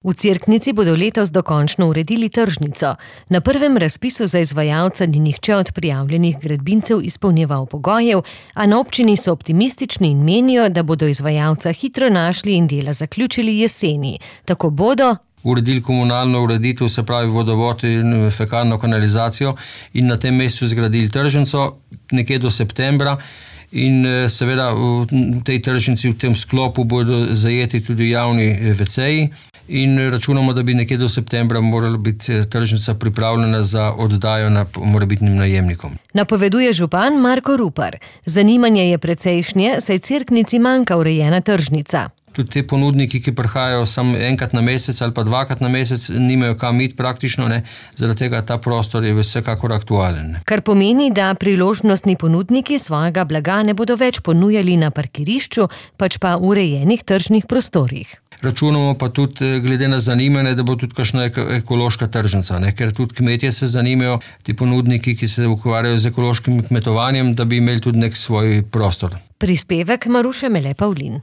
V Cerknici bodo letos dokončno uredili tržnico. Na prvem razpisu za izvajalca ni nihče od prijavljenih gradbincev izpolnjeval pogojev, a na občini so optimistični in menijo, da bodo izvajalca hitro našli in dela zaključili jeseni. Tako bodo uredili komunalno ureditev, se pravi vodovod in fekalno kanalizacijo, in na tem mestu zgradili tržnico nekje do septembra. In seveda v tej tržnici, v tem sklopu bodo zajeti tudi javni WC-ji in računamo, da bi nekje do septembra morala biti tržnica pripravljena za oddajo morebitnim najemnikom. Napoveduje župan Marko Rupar. Zanimanje je precejšnje, saj Cerknici manjka urejena tržnica. Tudi te ponudniki, ki prihajajo samo enkrat na mesec ali pa dvakrat na mesec, nimajo kam iti praktično, zaradi tega ta prostor je vsekakor aktualen. Kar pomeni, da priložnostni ponudniki svojega blaga ne bodo več ponujali na parkirišču, pač pa v urejenih tržnih prostorih. Računamo pa tudi, glede na zanimanje, da bo tudi kakšna ekološka tržnica, ker tudi kmetje se zanimajo, ti ponudniki, ki se ukvarjajo z ekološkim kmetovanjem, da bi imeli tudi nek svoj prostor. Prispevek Maruše Mele Pavlin.